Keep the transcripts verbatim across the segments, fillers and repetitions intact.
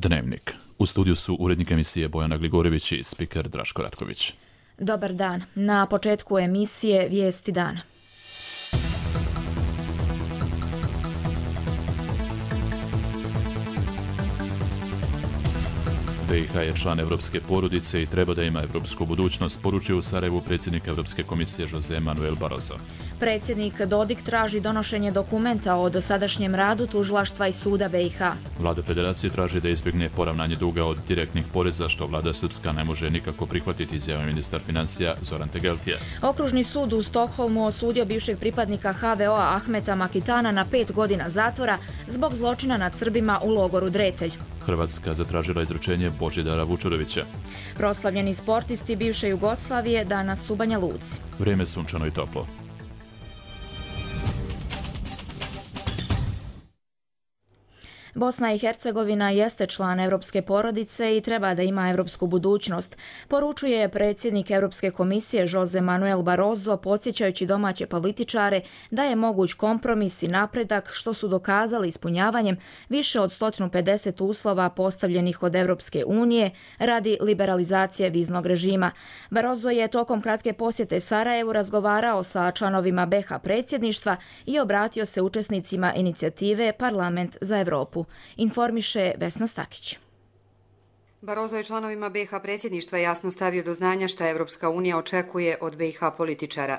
Dnevnik. U studiju su urednik emisije Bojana Gligorević i spiker Draško Ratković. Dobar dan. Na početku emisije Vijesti dana. B i H je član evropske porodice i treba da ima evropsku budućnost, poručio u Sarajevu predsjednik Evropske komisije Jose Manuel Barroso. Predsjednik Dodik traži donošenje dokumenta o dosadašnjem radu tužilaštva i suda B i H. Vlada federacije traži da izbjegne poravnanje duga od direktnih poreza, što vlada srpska ne može nikako prihvatiti, izjavio ministar financija Zoran Tegeltija. Okružni sud u Stokholmu osudio bivšeg pripadnika H V O-a Ahmeta Makitana na pet godina zatvora zbog zločina nad Srbima u logoru Dretelj. Hrvatska zatražila izručenje Božidara Vučurovića. Proslavljeni sportisti bivše Jugoslavije danas u Banja Luci. Vrijeme sunčano i toplo. Bosna i Hercegovina jeste član evropske porodice i treba da ima evropsku budućnost, poručuje predsjednik Europske komisije Jose Manuel Barroso, podsjećajući domaće političare da je moguć kompromis i napredak, što su dokazali ispunjavanjem više od sto pedeset uslova postavljenih od Europske unije radi liberalizacije viznog režima. Barroso je tokom kratke posjete Sarajevu razgovarao sa članovima B i H predsjedništva i obratio se učesnicima inicijative Parlament za Evropu. Informiše Vesna Stakić. Barroso je članovima B i H predsjedništva jasno stavio do znanja šta Evropska unija očekuje od B i H političara.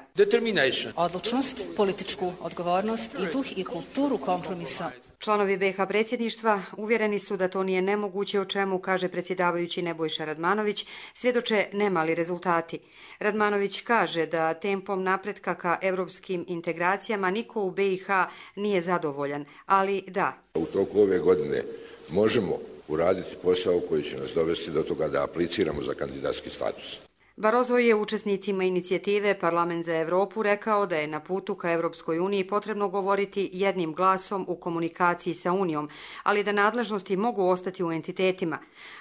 Odlučnost, političku odgovornost i duh i kulturu kompromisa. Članovi B i H predsjedništva uvjereni su da to nije nemoguće, o čemu, kaže predsjedavajući Nebojša Radmanović, svjedoče nemali rezultati. Radmanović kaže da tempom napretka ka evropskim integracijama niko u B i H nije zadovoljan, ali da. U toku ove godine možemo uraditi posao koji će nas dovesti do toga da apliciramo za kandidatski status. Barroso je učesnicima inicijative Parlament za Evropu rekao da je na putu ka Evropskoj uniji potrebno govoriti jednim glasom u komunikaciji sa Unijom, ali da nadležnosti mogu ostati u entitetima.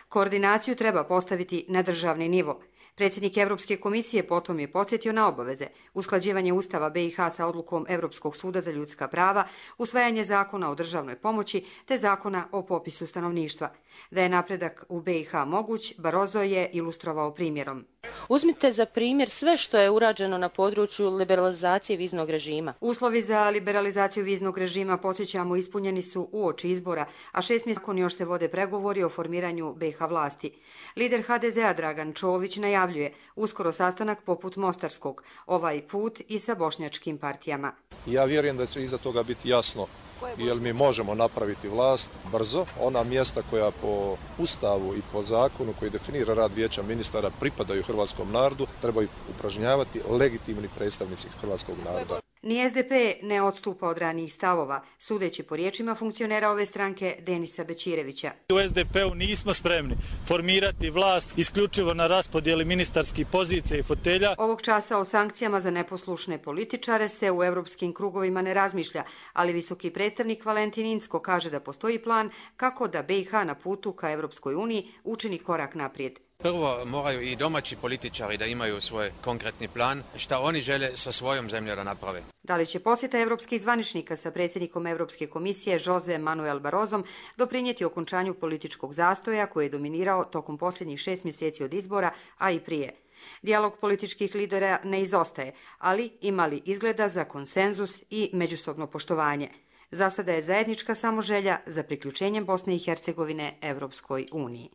Koordinaciju treba postaviti na državni nivo. Predsjednik Evropske komisije potom je podsjetio na obaveze: usklađivanje Ustava B i H sa odlukom Evropskog suda za ljudska prava, usvajanje zakona o državnoj pomoći te zakona o popisu stanovništva. Da je napredak u B i H moguć, Barroso je ilustrovao primjerom. Uzmite za primjer sve što je urađeno na području liberalizacije viznog režima. Uslovi za liberalizaciju viznog režima, podsjećamo, ispunjeni su uoči izbora, a šest mjeseci nakon još se vode pregovori o formiranju B i H vlasti. Lider H D Z-a Dragan Čović najavljuje uskoro sastanak poput mostarskog, ovaj put i sa bošnjačkim partijama. Ja vjerujem da će iza toga biti jasno jer mi možemo napraviti vlast brzo. Ona mjesta koja po Ustavu i po zakonu koji definira rad vijeća ministara pripadaju hrvatskom narodu, trebaju upražnjavati legitimni predstavnici hrvatskog naroda. Ni S D P ne odstupa od ranijih stavova, sudeći po riječima funkcionera ove stranke Denisa Bećirevića. U S D P-u nismo spremni formirati vlast isključivo na raspodjeli ministarskih pozicija i fotelja. Ovog časa o sankcijama za neposlušne političare se u evropskim krugovima ne razmišlja, ali visoki predstavnik Valentin Incko kaže da postoji plan kako da B i H na putu ka Evropskoj uniji učini korak naprijed. Prvo moraju i domaći političari da imaju svoj konkretni plan šta oni žele sa svojom zemljom da naprave. Da li će posjeta evropskih zvaničnika sa predsjednikom Evropske komisije Jose Manuel Barrosom doprinijeti okončanju političkog zastoja koji je dominirao tokom posljednjih šest mjeseci od izbora, a i prije? Dijalog političkih lidera ne izostaje, ali ima li izgleda za konsenzus i međusobno poštovanje? Za sada je zajednička samo želja za priključenjem Bosne i Hercegovine Evropskoj uniji.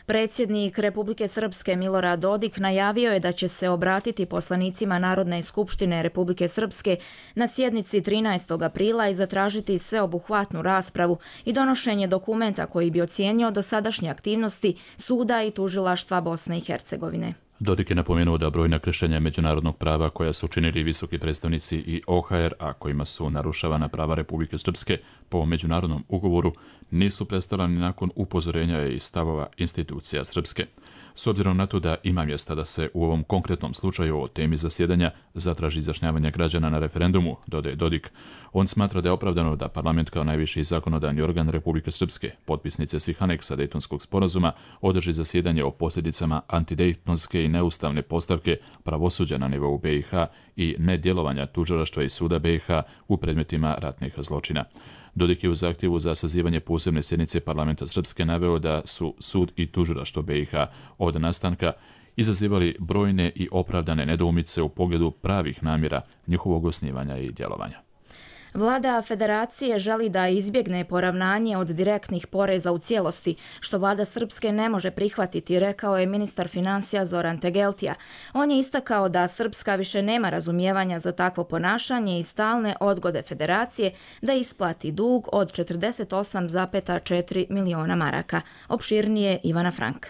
Predsjednik Republike Srpske Milorad Dodik najavio je da će se obratiti poslanicima Narodne skupštine Republike Srpske na sjednici trinaestog aprila i zatražiti sveobuhvatnu raspravu i donošenje dokumenta koji bi ocijenio dosadašnje aktivnosti suda i tužilaštva Bosne i Hercegovine. Dodik je napomenuo da brojna kršenja međunarodnog prava koja su učinili visoki predstavnici i O H R, a kojima su narušavana prava Republike Srpske po međunarodnom ugovoru, nisu prestala ni nakon upozorenja i stavova institucija Srpske. S obzirom na to da ima mjesta da se u ovom konkretnom slučaju o temi zasjedanja zatraži izjašnjavanje građana na referendumu, dodaje Dodik, on smatra da je opravdano da parlament kao najviši zakonodavni organ Republike Srpske, potpisnice svih aneksa Dejtonskog sporazuma, održi zasjedanje o posljedicama antidejtonske i neustavne postavke pravosuđa na nivou B i H i nedjelovanja tužilaštva i suda B i H u predmetima ratnih zločina. Dodik je u zahtjevu za sazivanje posebne sjednice parlamenta Srpske naveo da su sud i tužilaštvo B i H od nastanka izazivali brojne i opravdane nedoumice u pogledu pravih namjera njihovog osnivanja i djelovanja. Vlada Federacije želi da izbjegne poravnanje od direktnih poreza u cijelosti, što vlada Srpske ne može prihvatiti, rekao je ministar financija Zoran Tegeltija. On je istakao da Srpska više nema razumijevanja za takvo ponašanje i stalne odgode Federacije da isplati dug od četrdeset osam zarez četiri miliona maraka. Opširnije Ivana Frank.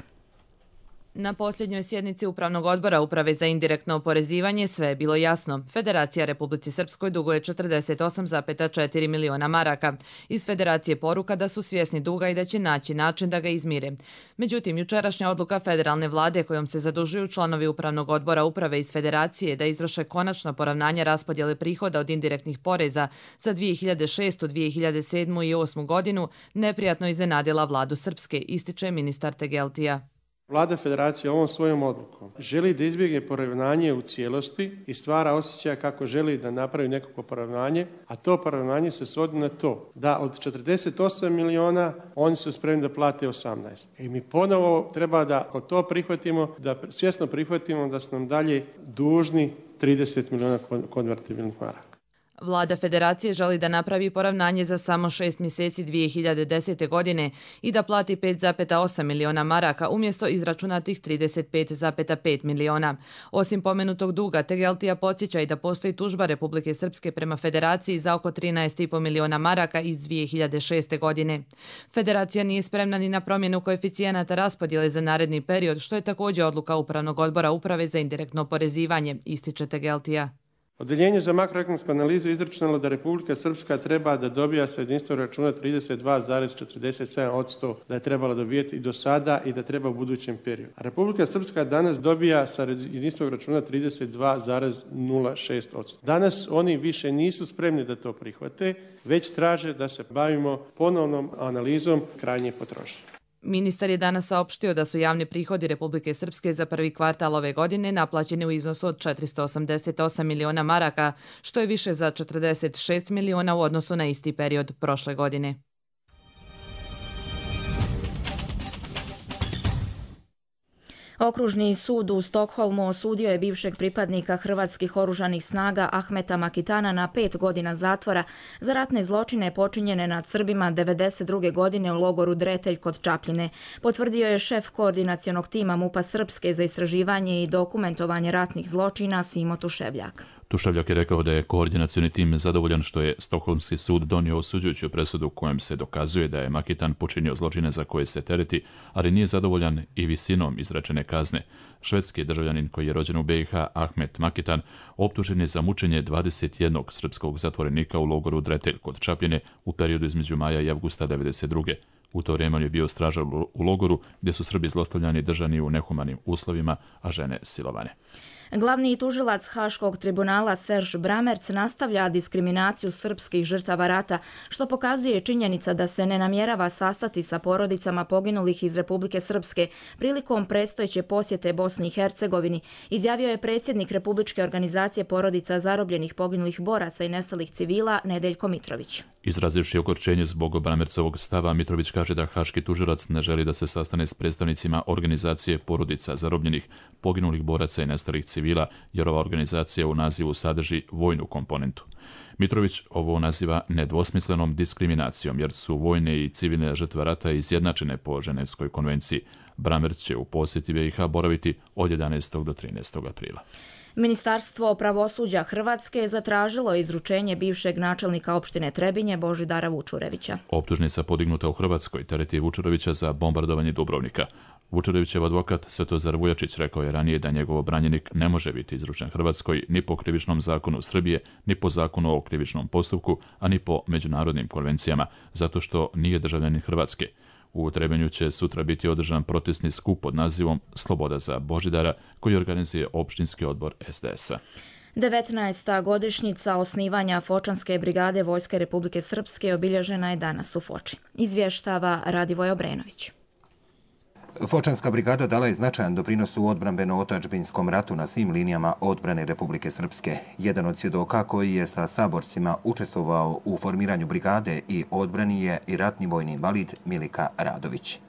Na posljednjoj sjednici Upravnog odbora Uprave za indirektno oporezivanje sve je bilo jasno. Federacija Republici Srpskoj duguje četrdeset osam zarez četiri miliona maraka. Iz Federacije poruka da su svjesni duga i da će naći način da ga izmire. Međutim, jučerašnja odluka federalne vlade kojom se zadužuju članovi Upravnog odbora Uprave iz Federacije da izvrše konačno poravnanje raspodjele prihoda od indirektnih poreza za dvije hiljade šestu, dvije hiljade sedmu i osmu godinu neprijatno iznenadila vladu Srpske, ističe ministar Tegeltija. Vlada Federacije ovom svojom odlukom želi da izbjegne poravnanje u cijelosti i stvara osjećaj kako želi da napravi nekako poravnanje, a to poravnanje se svodi na to da od četrdeset osam miliona oni su spremni da plate osamnaest. I mi ponovo treba da ako to prihvatimo, da svjesno prihvatimo da su nam dalje dužni trideset miliona konvertibilnih maraka. Vlada Federacije želi da napravi poravnanje za samo šest mjeseci dvije hiljade desete. godine i da plati pet zarez osam miliona maraka umjesto izračunatih trideset pet zarez pet miliona. Osim pomenutog duga, Tegeltija podsjeća i da postoji tužba Republike Srpske prema Federaciji za oko trinaest zarez pet miliona maraka iz dvije hiljade šeste. godine. Federacija nije spremna ni na promjenu koeficijenata raspodjele za naredni period, što je također odluka Upravnog odbora Uprave za indirektno oporezivanje, ističe Tegeltija. Odeljenje za makroekonomsku analizu izračunalo da Republika Srpska treba da dobija sa jedinstvenog računa trideset dva zarez četrdeset sedam posto da je trebala dobijeti i do sada i da treba u budućem periodu. A Republika Srpska danas dobija sa jedinstvenog računa trideset dva zarez nula šest posto. Danas oni više nisu spremni da to prihvate, već traže da se bavimo ponovnom analizom krajnje potrošnje. Ministar je danas saopštio da su javni prihodi Republike Srpske za prvi kvartal ove godine naplaćeni u iznosu od četiristo osamdeset osam miliona maraka, što je više za četrdeset šest miliona u odnosu na isti period prošle godine. Okružni sud u Stokholmu osudio je bivšeg pripadnika hrvatskih oružanih snaga Ahmeta Makitana na pet godina zatvora za ratne zločine počinjene nad Srbima devedeset druge. godine u logoru Dretelj kod Čapljine. Potvrdio je šef koordinacionog tima MUP-a Srpske za istraživanje i dokumentovanje ratnih zločina Simo Tuševljak. Tuševljak je rekao da je koordinacioni tim zadovoljan što je Stokholmski sud donio osuđujuću presudu kojem se dokazuje da je Makitan počinio zločine za koje se tereti, ali nije zadovoljan i visinom izrečene kazne. Švedski državljanin koji je rođen u B i H, Ahmet Makitan, optužen je za mučenje dvadeset jednog srpskog zatvorenika u logoru Dretelj kod Čapljine u periodu između maja i avgusta devedeset druge. U to vrijeme on je bio stražar u logoru gdje su Srbi zlostavljani držani u nehumanim uslovima, a žene silovane. Glavni tužilac Haškog tribunala Serž Bramerc nastavlja diskriminaciju srpskih žrtava rata, što pokazuje činjenica da se ne namjerava sastati sa porodicama poginulih iz Republike Srpske prilikom predstojeće posjete Bosni i Hercegovini, izjavio je predsjednik Republičke organizacije porodica zarobljenih poginulih boraca i nestalih civila Nedeljko Mitrović. Izrazivši ogorčenje zbog Bramercovog stava, Mitrović kaže da haški tužilac ne želi da se sastane s predstavnicima organizacije porodica zarobljenih poginulih boraca i nestalih civila, jer ova organizacija u nazivu sadrži vojnu komponentu. Mitrović ovo naziva nedvosmislenom diskriminacijom, jer su vojne i civilne žrtve rata izjednačene po Ženevskoj konvenciji. Bramerc će u posjeti B i H boraviti od jedanaestog do trinaestog aprila. Ministarstvo pravosuđa Hrvatske zatražilo izručenje bivšeg načelnika opštine Trebinje Božidara Vučurevića. Optužnica podignuta u Hrvatskoj tereti Vučurevića za bombardovanje Dubrovnika. Vučurevićev advokat Svetozar Vujačić rekao je ranije da njegov branjenik ne može biti izručen Hrvatskoj ni po krivičnom zakonu Srbije, ni po zakonu o krivičnom postupku, a ni po međunarodnim konvencijama, zato što nije državljanin Hrvatske. U Trebinju će sutra biti održan protestni skup pod nazivom Sloboda za Božidara, koji organizuje opštinski odbor S D S-a. devetnaesta godišnjica osnivanja Fočanske brigade Vojske Republike Srpske obilježena je danas u Foči. Izvještava Radivoj Obrenović. Fočanska brigada dala je značajan doprinos u odbrambeno-otadžbinskom ratu na svim linijama odbrane Republike Srpske. Jedan od svjedoka koji je sa saborcima učestvovao u formiranju brigade i odbrani je i ratni vojni invalid Milika Radović.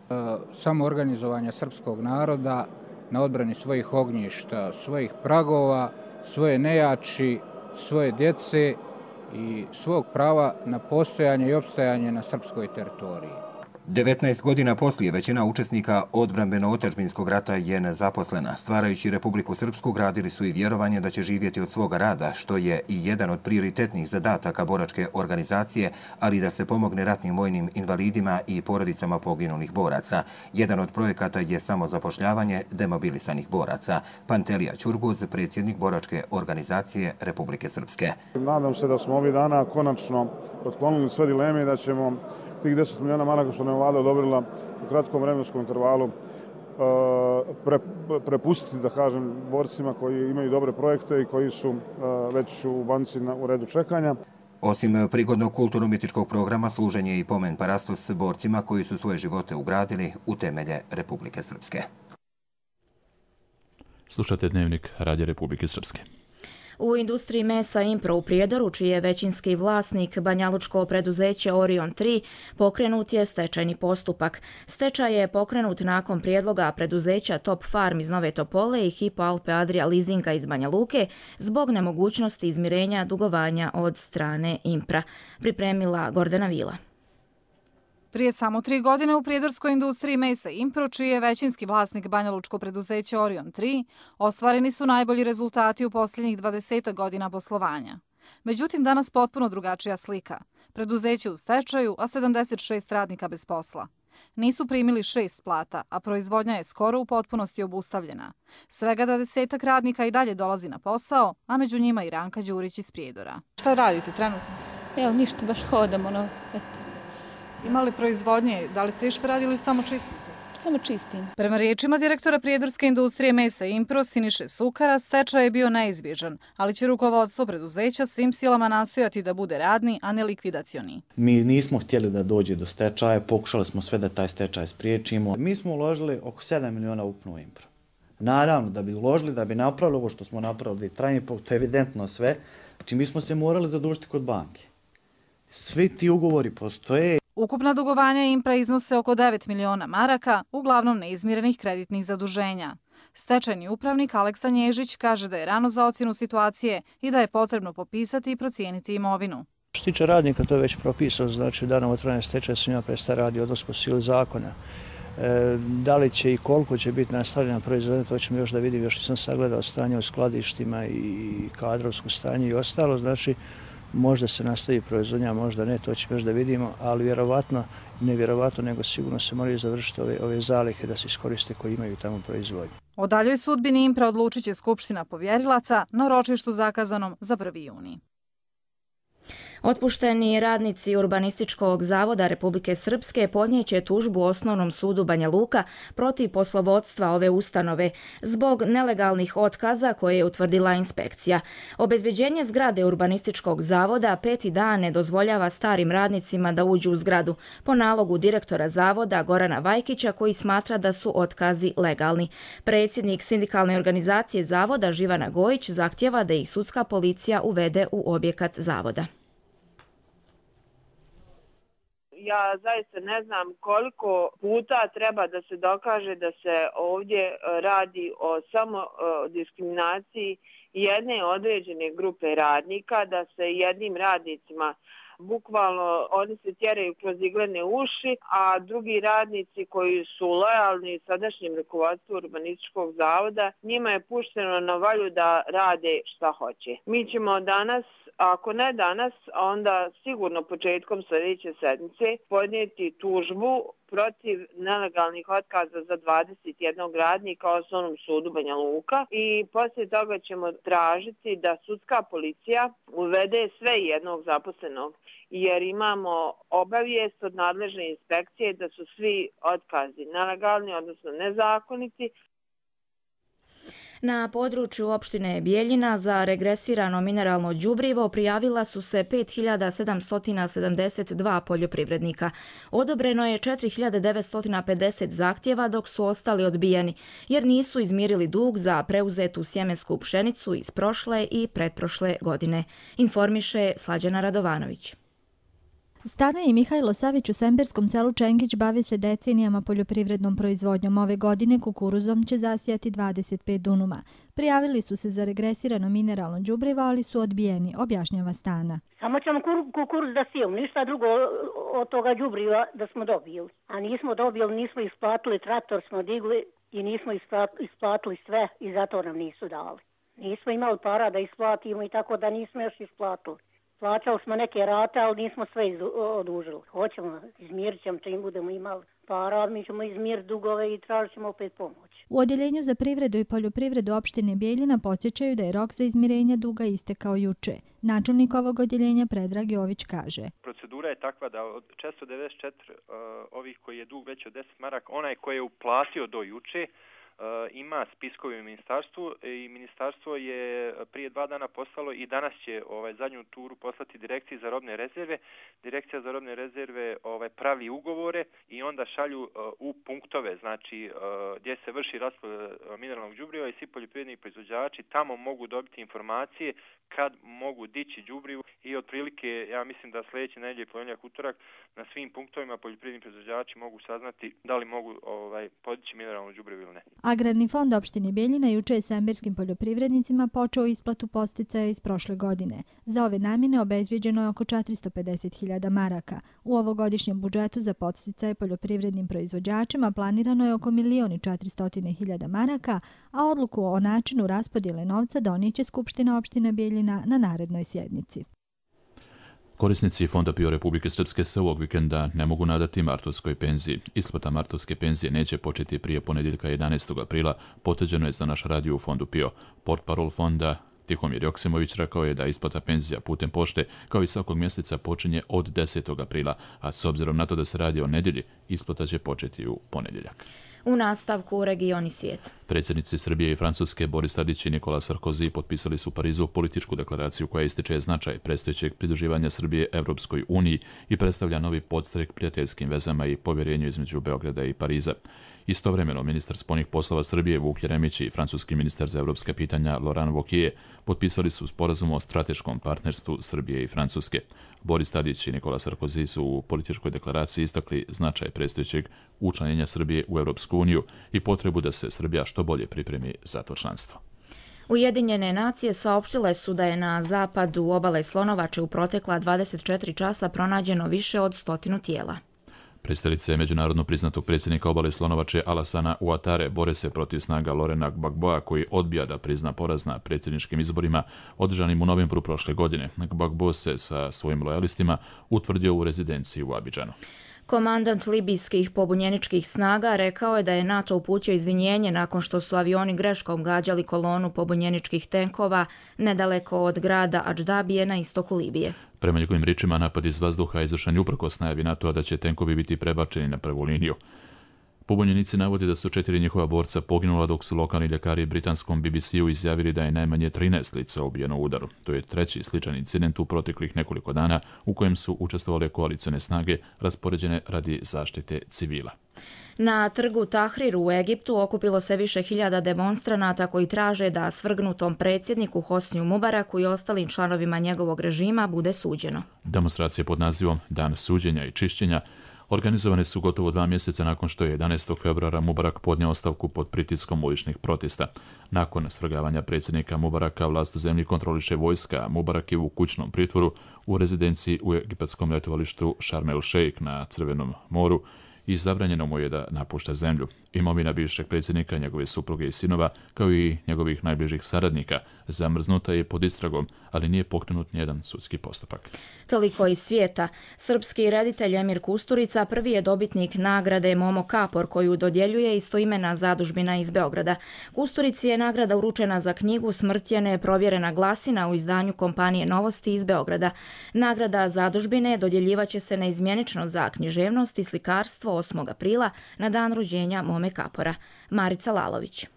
Samo organizovanje srpskog naroda na odbrani svojih ognjišta, svojih pragova, svoje nejači, svoje djece i svog prava na postojanje i opstajanje na srpskoj teritoriji. devetnaest godina poslije većina učesnika odbrambeno-otadžbinskog rata je nezaposlena. Stvarajući Republiku Srpsku gradili su i vjerovanje da će živjeti od svoga rada, što je i jedan od prioritetnih zadataka boračke organizacije, ali da se pomogne ratnim vojnim invalidima i porodicama poginulih boraca. Jedan od projekata je samozapošljavanje demobilisanih boraca. Pantelija Ćurguz, predsjednik boračke organizacije Republike Srpske. Nadam se da smo ovih dana konačno otklonili sve dileme i da ćemo tih deset milijuna maraka što nam je vlada odobrila u kratkom vremenskom intervalu pre, prepustiti, da kažem, borcima koji imaju dobre projekte i koji su već u banci na, u redu čekanja. Osim prigodnog kulturno-umjetničkog programa, služen je i pomen parastos borcima koji su svoje živote ugradili u temelje Republike Srpske. Slušate Dnevnik Radija Republike Srpske. U industriji mesa Impro u Prijedoru, čiji je većinski vlasnik banjalučko preduzeće Orion tri, pokrenut je stečajni postupak. Stečaj je pokrenut nakon prijedloga preduzeća Top Farm iz Nove Topole i Hypo Alpe Adria Leasinga iz Banja Luke zbog nemogućnosti izmirenja dugovanja od strane Impra. Pripremila Gordana Vila. Prije samo tri godine u prijedorskoj industriji mesa Impro, čiji je većinski vlasnik banjalučko preduzeće Orion tri, ostvareni su najbolji rezultati u posljednjih dvadeset godina poslovanja. Međutim, danas potpuno drugačija slika. Preduzeće u stečaju, a sedamdeset šest radnika bez posla. Nisu primili šest plata, a proizvodnja je skoro u potpunosti obustavljena. Svega dvadesetak radnika i dalje dolazi na posao, a među njima i Ranka Đurić iz Prijedora. Šta radite trenutno? Evo, ništa, baš hodamo, no, eto. Ima li proizvodnje? Da li se išta radi ili samo čistite? Samo čistim. Prema riječima direktora prijedorske industrije mesa Impro Siniše Sukara, stečaj je bio neizbježan, ali će rukovodstvo preduzeća svim silama nastojati da bude radni, a ne likvidacioni. Mi nismo htjeli da dođe do stečaja, pokušali smo sve da taj stečaj spriječimo. Mi smo uložili oko sedam miliona ukupno u Impro. Naravno, da bi uložili, da bi napravili ovo što smo napravili, trajni put, to je evidentno sve. Znači, mi smo se morali zadužiti kod banke. Svi ti ugovori postoje. Ukupna dugovanja Impra iznose oko devet miliona maraka, uglavnom neizmirenih kreditnih zaduženja. Stečajni upravnik Aleksa Nježić kaže da je rano za ocjenu situacije i da je potrebno popisati i procijeniti imovinu. Što tiče radnika, to je već propisano, znači danom otvaranja stečaja se njima prestaje radi odnos po sili zakona. E, da li će i koliko će biti nastavljena proizvodnja, to ćemo još da vidimo, još sam sagledao stanje u skladištima i kadrovsko stanje i ostalo, znači možda se nastavi proizvodnja, možda ne, to ćemo još da vidimo, ali vjerovatno, ne vjerovatno, nego sigurno se moraju završiti ove, ove zalihe da se iskoriste koji imaju tamo proizvodnju. O daljoj sudbini Impra odlučit će Skupština povjerilaca na ročištu zakazanom za prvi juni. Otpušteni radnici Urbanističkog zavoda Republike Srpske podnijeće tužbu Osnovnom sudu Banja Luka protiv poslovodstva ove ustanove zbog nelegalnih otkaza koje je utvrdila inspekcija. Obezbeđenje zgrade Urbanističkog zavoda peti dan ne dozvoljava starim radnicima da uđu u zgradu po nalogu direktora zavoda Gorana Vajkića, koji smatra da su otkazi legalni. Predsjednik sindikalne organizacije zavoda Živana Gojić zahtjeva da ih sudska policija uvede u objekat zavoda. Ja zaista ne znam koliko puta treba da se dokaže da se ovdje radi o samo diskriminaciji jedne određene grupe radnika, da se jednim radnicima bukvalno oni se tjeraju kroz iglene uši, a drugi radnici koji su lojalni sadašnjem rukovodstvu Urbanističkog zavoda, njima je pušteno na volju da rade šta hoće. Mi ćemo danas, ako ne danas, onda sigurno početkom sljedeće sedmice podnijeti tužbu protiv nelegalnih otkaza za dvadeset jedan radnika u Osnovnom sudu Banja Luka i poslije toga ćemo tražiti da sudska policija uvede sve jednog zaposlenog, jer imamo obavijest od nadležne inspekcije da su svi otkazi nelegalni, odnosno nezakoniti. Na području opštine Bijeljina za regresirano mineralno đubrivo prijavila su se pet hiljada sedamsto sedamdeset dva poljoprivrednika. Odobreno je četiri hiljade devetsto pedeset zahtjeva, dok su ostali odbijeni, jer nisu izmirili dug za preuzetu sjemensku pšenicu iz prošle i pretprošle godine, informiše Slađana Radovanović. Stana i Mihajlo Savić u semberskom selu Čengić bavi se decenijama poljoprivrednom proizvodnjom. Ove godine kukuruzom će zasijati dvadeset pet dunuma. Prijavili su se za regresirano mineralno đubrivo, ali su odbijeni, objašnjava Stana. Samo ćemo kukuruz da sijemo, ništa drugo od toga đubriva da smo dobili. A nismo dobili, nismo isplatili, traktor smo digli i nismo isplatili sve i zato nam nisu dali. Nismo imali para da isplatimo i tako da nismo još isplatili. Plaćali smo neke rate, ali nismo sve odužili. Hoćemo, izmirit ćemo čim budemo imali para, mi ćemo izmiriti dugove i tražit ćemo opet pomoć. U Odjeljenju za privredu i poljoprivredu opštine Bijeljina podsjećaju da je rok za izmirenje duga istekao juče. Načelnik ovog odjeljenja Predrag Jović kaže. Procedura je takva da od četiristo devedeset četiri uh, ovih koji je dug veći od deset maraka, onaj koji je uplatio do juče, Uh, ima spiskovi u ministarstvu i ministarstvo je prije dva dana poslalo i danas će ovaj zadnju turu poslati direkciji za robne rezerve. Direkcija za robne rezerve ovaj pravi ugovore i onda šalju uh, u punktove, znači uh, gdje se vrši raspodjela mineralnog đubriva i svi poljoprivredni proizvođači tamo mogu dobiti informacije kad mogu dići đubrivo i otprilike ja mislim da sljedeće nedjelje ponedjeljak, utorak na svim punktovima poljoprivredni proizvođači mogu saznati da li mogu ovaj podići mineralno đubrivo ili ne. Agrarni fond opštine Bijeljina juče je semberskim poljoprivrednicima počeo isplatu podsticaja iz prošle godine. Za ove namjene obezbjeđeno je oko četiristo pedeset hiljada maraka. U ovogodišnjem budžetu za podsticaje poljoprivrednim proizvođačima planirano je oko milion i četiristo hiljada maraka, a odluku o načinu raspodjele novca donijeće Skupština opštine Bijeljina na narednoj sjednici. Korisnici Fonda PIO Republike Srpske se ovog vikenda ne mogu nadati martovskoj penziji. Isplata martovske penzije neće početi prije ponedjeljka jedanaestog aprila, potvrđeno je za naš radio u Fondu PIO. Portparol fonda Tihomir Joksimović rekao je da isplata penzija putem pošte kao i svakog mjeseca počinje od desetog aprila, a s obzirom na to da se radi o nedjelji, isplata će početi u ponedjeljak. U nastavku regioni svijet. Predsjednici Srbije i Francuske Boris Tadić i Nikola Sarkozy potpisali su u Parizu političku deklaraciju koja ističe značaj predstojećeg pridruživanja Srbije Evropskoj uniji i predstavlja novi podstrek prijateljskim vezama i povjerenju između Beograda i Pariza. Istovremeno, ministar spoljnih poslova Srbije Vuk Jeremić i francuski ministar za evropska pitanja Laurent Wauquiez potpisali su sporazum o strateškom partnerstvu Srbije i Francuske. Boris Tadić i Nikola Sarkozy su u političkoj deklaraciji istakli značaj predstojećeg učlanjenja Srbije u Evropsku uniju i potrebu da se Srbija što bolje pripremi za to članstvo. Ujedinjene nacije saopštile su da je na zapadu obale Slonovače u protekla dvadeset četiri časa pronađeno više od stotinu tijela. Predstavnice međunarodno priznatog predsjednika obale Slonovače Alassana Ouattare bore se protiv snaga Laurenta Gbagboa koji odbija da prizna poraz na predsjedničkim izborima održanim u novembru prošle godine. Gbagbo se sa svojim lojalistima utvrdio u rezidenciji u Abidžanu. Komandant libijskih pobunjeničkih snaga rekao je da je NATO uputio izvinjenje nakon što su avioni greškom gađali kolonu pobunjeničkih tenkova nedaleko od grada Adždabije na istoku Libije. Prema njegovim riječima, napad iz vazduha izvršen je uprkos najavi NATO-a da će tenkovi biti prebačeni na prvu liniju. Pobunjenici navode da su četiri njihova borca poginula dok su lokalni ljekari britanskom B B C-u izjavili da je najmanje trinaest lica ubijeno u udaru. To je treći sličan incident u proteklih nekoliko dana u kojem su učestvovale koalicione snage raspoređene radi zaštite civila. Na trgu Tahrir u Egiptu okupilo se više hiljada demonstranata koji traže da svrgnutom predsjedniku Hosniju Mubaraku i ostalim članovima njegovog režima bude suđeno. Demonstracije pod nazivom Dan suđenja i čišćenja organizovane su gotovo dva mjeseca nakon što je jedanaestog februara Mubarak podnio ostavku pod pritiskom uličnih protesta. Nakon svrgavanja predsjednika Mubaraka vlast u zemlji kontroliše vojska, a Mubarak je u kućnom pritvoru u rezidenciji u egipatskom letovalištu Sharm el Sheikh na Crvenom moru i zabranjeno mu je da napušta zemlju. Imovina bivšeg predsjednika, njegove supruge i sinova, kao i njegovih najbližih saradnika, zamrznuta je pod istragom, ali nije pokrenut nijedan sudski postupak. Toliko iz svijeta. Srpski reditelj Emir Kusturica prvi je dobitnik nagrade Momo Kapor koju dodjeljuje istoimena zadužbina iz Beograda. Kusturici je nagrada uručena za knjigu Smrtjene provjerena glasina u izdanju kompanije Novosti iz Beograda. Nagrada zadužbine dodjeljivaće se neizmjenično za književnost i slikarstvo osmog aprila na dan rođenja Mome Kapora. Marica Lalović.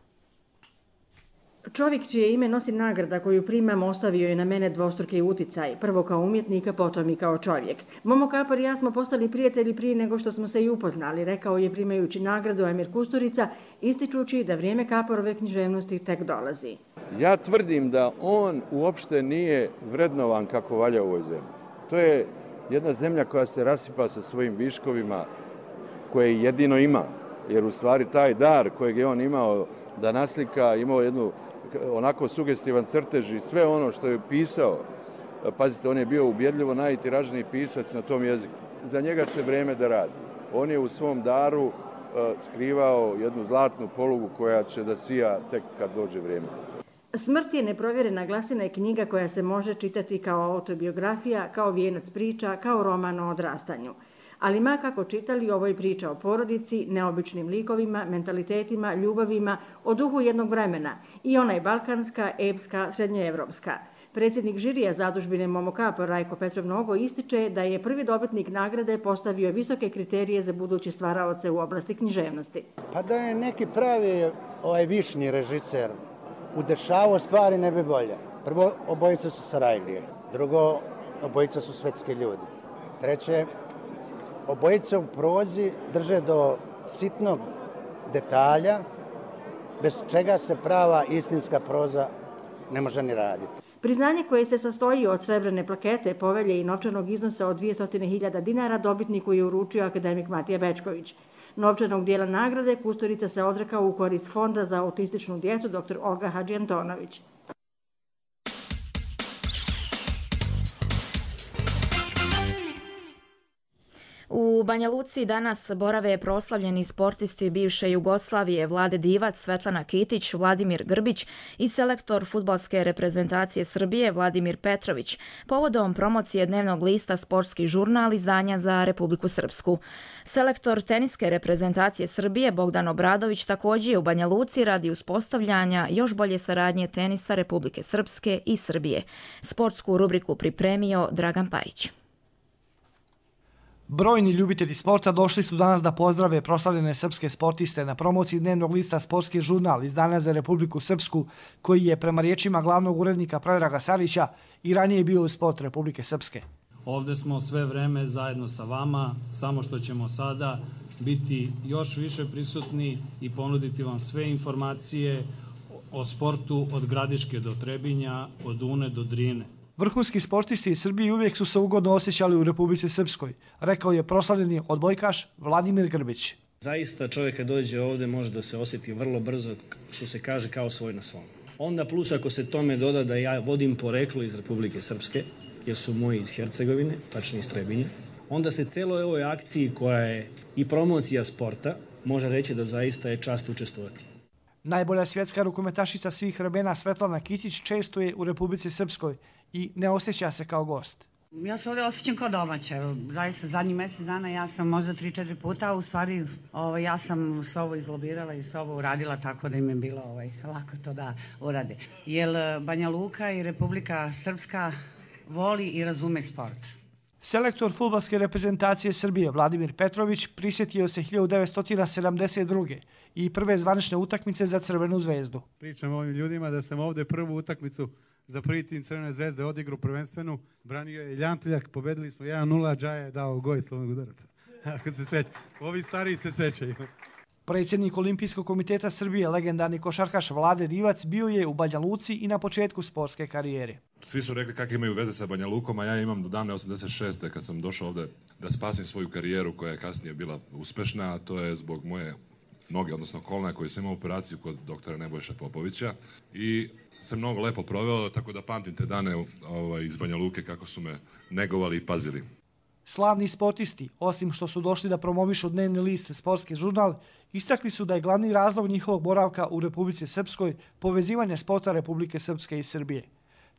Čovjek čije ime nosi nagrada koju primam ostavio je na mene dvostruki uticaj, prvo kao umjetnika, potom i kao čovjek. Momo Kapor i ja smo postali prijatelji prije nego što smo se i upoznali, rekao je primajući nagradu Emir Kusturica, ističući da vrijeme Kaporove književnosti tek dolazi. Ja tvrdim da on uopšte nije vrednovan kako valja u ovoj zemlji. To je jedna zemlja koja se rasipa sa svojim viškovima koje jedino ima, jer u stvari taj dar kojeg je on imao da naslika, imao jednu onako sugestivan crtež i sve ono što je pisao, pazite, on je bio ubjedljivo najtiražniji pisac na tom jeziku. Za njega će vrijeme da radi. On je u svom daru uh, skrivao jednu zlatnu polugu koja će da sija tek kad dođe vrijeme. Smrt je neprovjerena glasina je knjiga koja se može čitati kao autobiografija, kao vijenac priča, kao roman o odrastanju. Ali ma kako čitali, ovo je priča o porodici, neobičnim likovima, mentalitetima, ljubavima, o duhu jednog vremena. I ona je balkanska, epska, srednjoevropska. Predsjednik žirija zadužbine Momo Kapor Rajko Petrov Nogo ističe da je prvi dobitnik nagrade postavio visoke kriterije za buduće stvaraoce u oblasti književnosti. Pa da je neki pravi ovaj višnji režiser udešavao stvari ne bi bolje. Prvo, obojica su Sarajlije. Drugo, obojica su svetski ljudi. Treće, obojica u prozi drže do sitnog detalja, bez čega se prava istinska proza ne može ni raditi. Priznanje koje se sastoji od srebrne plakete, povelje i novčanog iznosa od dvjesto hiljada dinara dobitniku je uručio akademik Matija Bečković. Novčanog dijela nagrade Kusturica se odrekao u korist Fonda za autističnu djecu dr. Olga Hadžiantonović. U Banja Luci danas borave proslavljeni sportisti bivše Jugoslavije Vlade Divac, Svetlana Kitić, Vladimir Grbić i selektor fudbalske reprezentacije Srbije Vladimir Petrović povodom promocije dnevnog lista Sportski žurnal izdanja za Republiku Srpsku. Selektor teniske reprezentacije Srbije Bogdan Obradović također je u Banja Luci radi uspostavljanja još bolje saradnje tenisa Republike Srpske i Srbije. Sportsku rubriku pripremio Dragan Pajić. Brojni ljubitelji sporta došli su danas da pozdrave proslavljene srpske sportiste na promociji dnevnog lista Sportski žurnal izdanja za Republiku Srpsku, koji je prema riječima glavnog urednika Predraga Sarića i ranije bio u sport Republike Srpske. Ovde smo sve vreme zajedno sa vama, samo što ćemo sada biti još više prisutni i ponuditi vam sve informacije o sportu od Gradiške do Trebinja, od Une do Drine. Vrhunski sportisti iz Srbije uvijek su se ugodno osjećali u Republici Srpskoj, rekao je proslavljeni odbojkaš Vladimir Grbić. Zaista čovjek kad dođe ovde može da se osjeti vrlo brzo, što se kaže, kao svoj na svom. Onda plus ako se tome doda da ja vodim poreklo iz Republike Srpske, jer su moji iz Hercegovine, tačnije iz Trebinja, onda se celoj ovoj akciji koja je i promocija sporta može reći da zaista je čast učestvovati. Najbolja svjetska rukometašica svih vremena Svetlana Kitić često je u Republici Srpskoj i ne osjeća se kao gost. Ja se ovdje osjećam kao domaća. Evo, zaista zadnjih mjesec dana ja sam možda tri četiri puta, a u stvari ovaj, ja sam sve ovo izlobirala i sve ovo uradila tako da im je bilo ovaj, lako to da urade. Jer Banja Luka i Republika Srpska voli i razume sport. Selektor fudbalske reprezentacije Srbije Vladimir Petrović prisjetio se hiljadu devetsto sedamdeset druge i prve zvanične utakmice za Crvenu zvezdu. Pričam ovim ljudima da sam ovdje prvu utakmicu za prvi tim Crvene zvezde odigru prvenstvenu, branio je Ljantuljak, pobedili smo jedan nula, Džaja je dao goj slovnog udaraca. Ako se seća, ovi stariji se sećaju. Predsjednik Olimpijskog komiteta Srbije, legendarni košarkaš Vlade Divac, bio je u Banja Luci i na početku sportske karijere. Svi su rekli kakve imaju veze sa Banja Lukom, a ja imam do davne osamdeset šeste kad sam došao ovde da spasim svoju karijeru koja je kasnije bila uspešna, a to je zbog moje noge, odnosno kolena, koji sam imao operaciju kod doktora Nebojša Popovića i sam mnogo lepo proveo, tako da pamtim te dane ovaj, iz Banja Luke kako su me negovali i pazili. Slavni sportisti, osim što su došli da promovišu dnevni list Sportski žurnal, istakli su da je glavni razlog njihovog boravka u Republici Srpskoj povezivanje sporta Republike Srpske i Srbije.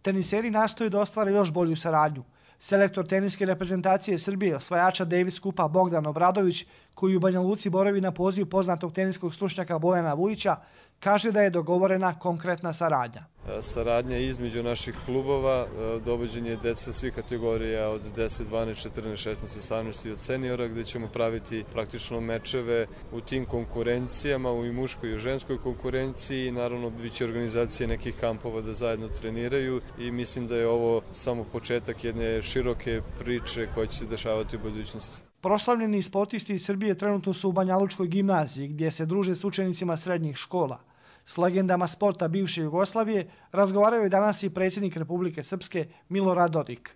Teniseri nastoje da ostvare još bolju saradnju. Selektor teniske reprezentacije Srbije, osvajača Davis Kupa Bogdan Obradović, koji u Banja Luci boravi na poziv poznatog teniskog stručnjaka Bojana Vujića, kaže da je dogovorena konkretna saradnja. saradnja između naših klubova, dovođenje dece svih kategorija od deset, dvanaest, četrnaest, šesnaest, osamnaest i od seniora, gde ćemo praviti praktično mečeve u tim konkurencijama, u i muškoj i u ženskoj konkurenciji. Naravno, bit će organizacije nekih kampova da zajedno treniraju i mislim da je ovo samo početak jedne široke priče koja će se dešavati u budućnosti. Proslavljeni sportisti iz Srbije trenutno su u Banjalučkoj gimnaziji, gdje se druže s učenicima srednjih škola. S legendama sporta bivše Jugoslavije razgovaraju danas i predsjednik Republike Srpske Milorad Dodik.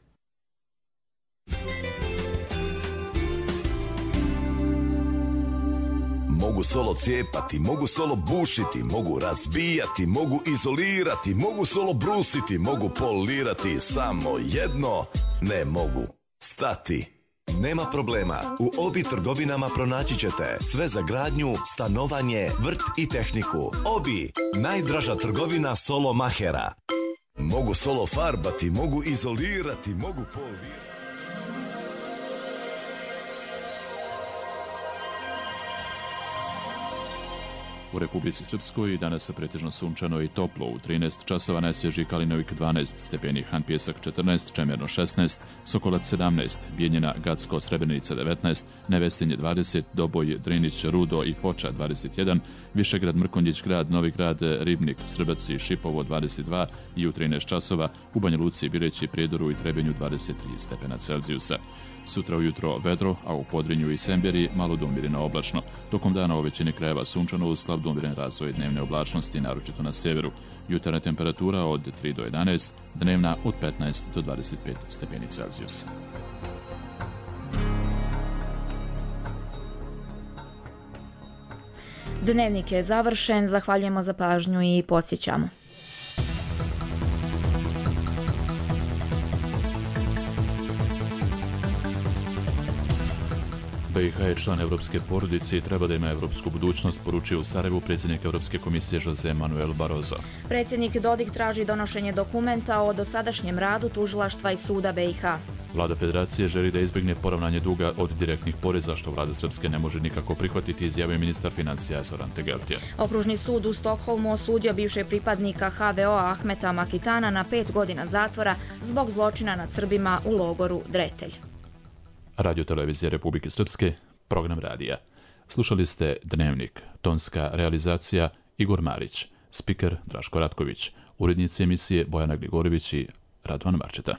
Mogu solo cijepati, mogu solo bušiti, mogu razbijati, mogu izolirati, mogu solo brusiti, mogu polirati, samo jedno ne mogu stati. Nema problema, u Obi trgovinama pronaći ćete sve za gradnju, stanovanje, vrt i tehniku. Obi, najdraža trgovina solo mahera. Mogu solo farbati, mogu izolirati, mogu polirati. U Republici Srpskoj danas je pretežno sunčano i toplo. U trinaest časova najsvježiji Kalinovik dvanaest stepeni, Han Pjesak četrnaest, Čemerno šesnaest, Sokolac sedamnaest, Bijeljina, Gacko, Srebrenica devetnaest, Nevesinje dvadeset, Doboj, Drinić, Rudo i Foča dvadeset jedan, Višegrad, Mrkonjić Grad, Novi Grad, Ribnik, Srbac i Šipovo dvadeset dva i u trinaest časova u Banja Luci, Bireći, Prijedoru i Trebinju dvadeset tri stepena Celzijusa. Sutra ujutro vedro, a u Podrinju i Semberi malo do umjereno oblačno. Tokom dana u većini krajeva sunčano uz slab do umjeren razvoj dnevne oblačnosti, naročito na severu. Jutarnja temperatura od tri do jedanaest, dnevna od petnaest do dvadeset pet stepeni Celzijusa. Dnevnik je završen, zahvaljujemo za pažnju i podsjećamo. B i H je član evropske porodice i treba da ima evropsku budućnost, poručio u Sarajevu predsjednik Evropske komisije Jose Manuel Barroso. Predsjednik Dodik traži donošenje dokumenta o dosadašnjem radu tužilaštva i suda B i H. Vlada Federacije želi da izbjegne poravnanje duga od direktnih poreza, što vlada Srpske ne može nikako prihvatiti, izjavio ministar financija Zoran Tegeltija. Okružni sud u Stokholmu osudio bivšeg pripadnika H V O-a Ahmeta Makitana na pet godina zatvora zbog zločina nad Srbima u logoru Dretelj. Radio Televizija Republike Srpske, program radija. Slušali ste Dnevnik, tonska realizacija Igor Marić, spiker Draško Ratković, urednici emisije Bojana Gligorović i Radovan Marčeta.